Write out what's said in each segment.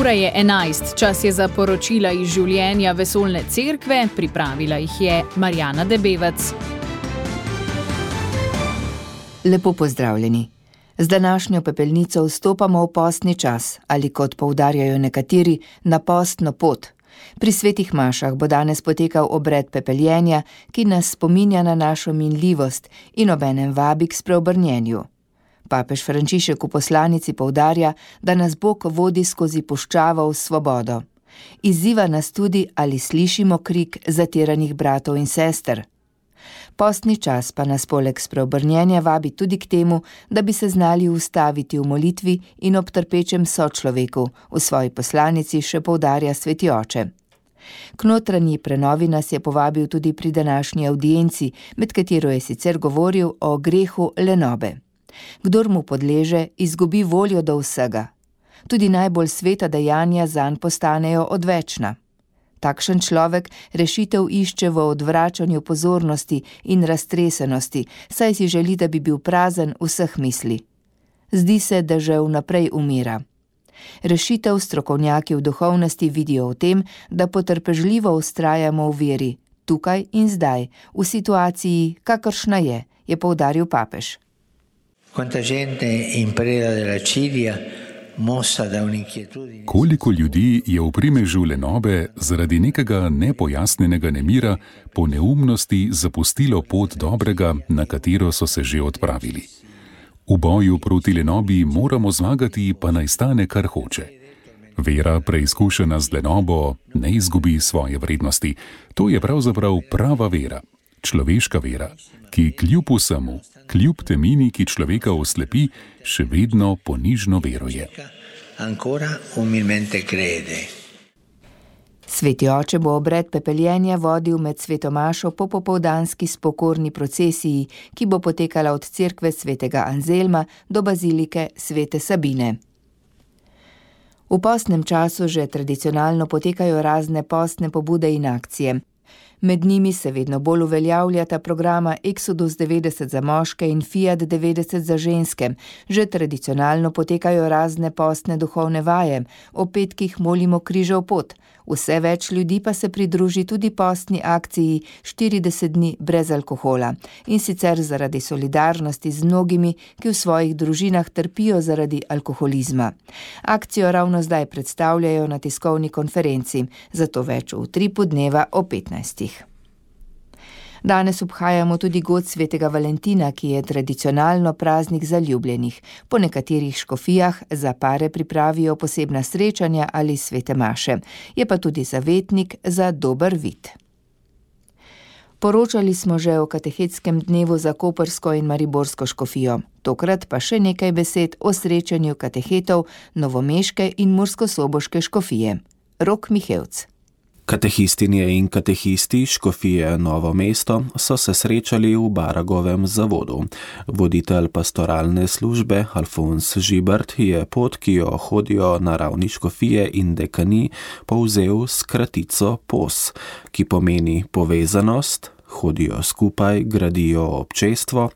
Ura je 11, čas je za poročila iz življenja vesoljne cerkve, pripravila jih je Marjana Debevec. Lepo pozdravljeni. Z današnjo pepelnico vstopamo v postni čas, ali kot poudarjajo nekateri, na postno pot. Pri svetih mašah bo danes potekal obred pepeljenja, ki nas spominja na našo minljivost in obenem vabi k spreobrnjenju. Papež Frančišek v poslanici poudarja, da nas Bog vodi skozi puščavo v svobodo. Izziva nas tudi, ali slišimo krik zatiranih bratov in sester. Postni čas pa nas poleg spreobrnjenja vabi tudi k temu, da bi se znali ustaviti v molitvi in ob trpečem sočloveku, v svoji poslanici še poudarja sveti oče. K notranji prenovi nas je povabil tudi pri današnji avdienci, med katero je sicer govoril o grehu lenobe. Kdor mu podleže, izgubi voljo do vsega. Tudi najbolj sveta dejanja zanj postanejo odvečna. Takšen človek rešitev išče v odvračanju pozornosti in raztresenosti, saj si želi, da bi bil prazen vseh misli. Zdi se, da že vnaprej umira. Rešitev strokovnjaki v duhovnosti vidijo v tem, da potrpežljivo vztrajamo v veri, tukaj in zdaj, v situaciji, kakršna je poudaril papež. Koliko ljudi je v primežu lenobe zaradi nekega nepojasnjenega nemira po neumnosti zapustilo pot dobrega, na katero so se že odpravili. V boju proti lenobi moramo zmagati, pa naj stane kar hoče. Vera, preizkušena z lenobo, ne izgubi svoje vrednosti. To je pravzaprav prava vera, človeška vera, ki kljub vsemu, kljub temini, ki človeka oslepi, še vedno ponižno veruje. Sveti oče bo obred pepeljenja vodil med svetomašo po popoldanski spokorni procesiji, ki bo potekala od cerkve svetega Anzelma do bazilike svete Sabine. V postnem času že tradicionalno potekajo razne postne pobude in akcije. Med njimi se vedno bolj uveljavljata programa Exodus 90 za moške in Fiat 90 za ženske. Že tradicionalno potekajo razne postne duhovne vaje, o petkih molimo križev pot. Vse več ljudi pa se pridruži tudi postni akciji 40 dni brez alkohola. In sicer zaradi solidarnosti z mnogimi, ki v svojih družinah trpijo zaradi alkoholizma. Akcijo ravno zdaj predstavljajo na tiskovni konferenci, zato več v utripu dneva o 15. Danes obhajamo tudi god svetega Valentina, ki je tradicionalno praznik zaljubljenih. Po nekaterih škofijah za pare pripravijo posebna srečanja ali svete maše. Je pa tudi zavetnik za dober vid. Poročali smo že o katehetskem dnevu za koprsko in mariborsko škofijo. Tokrat pa še nekaj besed o srečanju katehetov novomeške in murskosoboške škofije. Rok Mihevc. Katehistinje in katehisti škofije Novo mesto so se srečali v Baragovem zavodu. Voditelj pastoralne službe Alfons Žibert je pot, ki jo hodijo na ravni škofije in dekani, povzel s kratico POS, ki pomeni povezanost, hodijo skupaj, gradijo občestvo,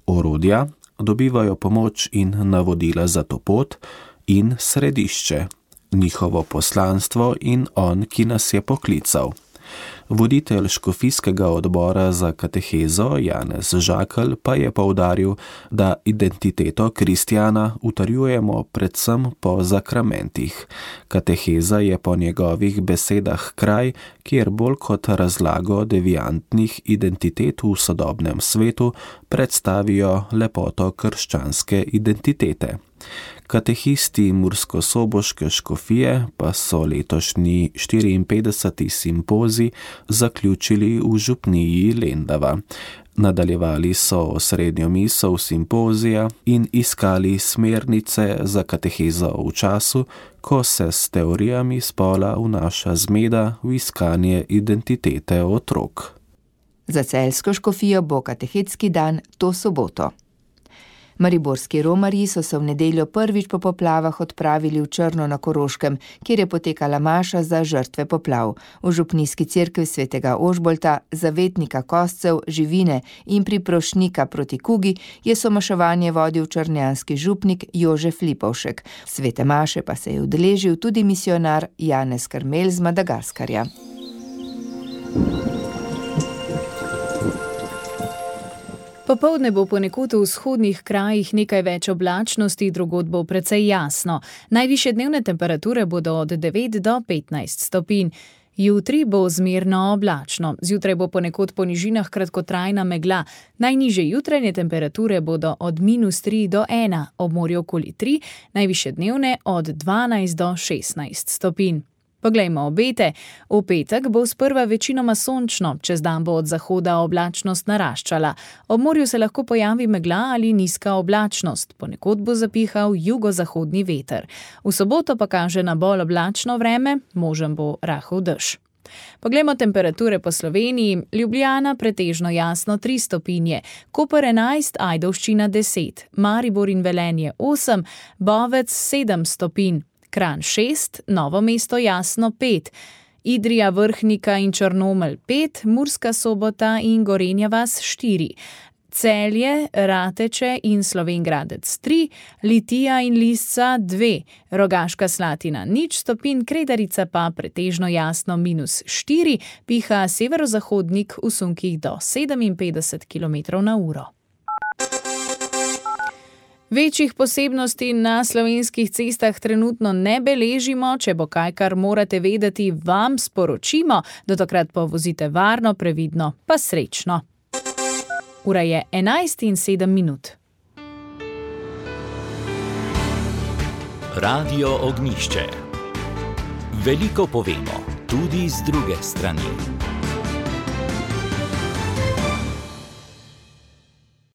orodja, dobivajo pomoč in navodila za to pot in središče, njihovo poslanstvo in on, ki nas je poklical. Voditelj škofijskega odbora za katehezo Janez Žakelj pa je poudaril, da identiteto kristjana utrjujemo predvsem po zakramentih. Kateheza je po njegovih besedah kraj, kjer bolj kot razlago deviantnih identitet v sodobnem svetu predstavijo lepoto krščanske identitete. Katehisti murskosoboške škofije pa so letošnji 54. simpozij zaključili v župniji Lendava. Nadaljevali so osrednjo misel simpozija in iskali smernice za katehezo v času, ko se s teorijami spola vnaša zmeda v iskanje identitete otrok. Za celjsko škofijo bo katehetski dan to soboto. Mariborski romarji so se v nedeljo prvič po poplavah odpravili v Črno na Koroškem, kjer je potekala maša za žrtve poplav. V župnijski cerkvi svetega Ožbolta, zavetnika kostcev, živine in priprošnika proti kugi je somaševanje vodil črnjanski župnik Jožef Lipovšek. Svete maše pa se je udeležil tudi misionar Janez Karmel z Madagaskarja. Popoldne bo ponekod v vzhodnih krajih nekaj več oblačnosti, drugod bo precej jasno. Najvišje dnevne temperature bodo od 9 do 15 stopinj. Jutri bo zmerno oblačno. Zjutraj bo ponekod po nižinah kratkotrajna megla. Najnižje jutranje temperature bodo od -3 do 1, ob morju okoli 3, najvišje dnevne od 12 do 16 stopinj. Poglejmo obete. V petek bo sprva večinoma sončno, čez dan bo od zahoda oblačnost naraščala. Ob morju se lahko pojavi megla ali nizka oblačnost, ponekod bo zapihal jugozahodni veter. V soboto pa kaže na bolj oblačno vreme, možen bo rahel dež. Poglejmo temperature po Sloveniji. Ljubljana pretežno jasno 3 stopinje, Koper 11, Ajdovščina 10, Maribor in Velenje 8, Bovec 7 stopinj, Kranj 6, Novo mesto jasno 5, Idrija, Vrhnika in Črnomelj 5, Murska Sobota in Gorenja vas 4, Celje, Rateče in Slovenj Gradec 3, Litija in Lisca 2, Rogaška Slatina 0 stopinj, Kredarica pa pretežno jasno -4, piha severozahodnik v sunkih do 57 km/h. Večjih posebnosti na slovenskih cestah trenutno ne beležimo, če bo kaj, kar morate vedeti, vam sporočimo. Do takrat pa vozite varno, previdno, pa srečno. Ura je 11:07. Radio Ognjišče. Veliko povemo, tudi z druge strani.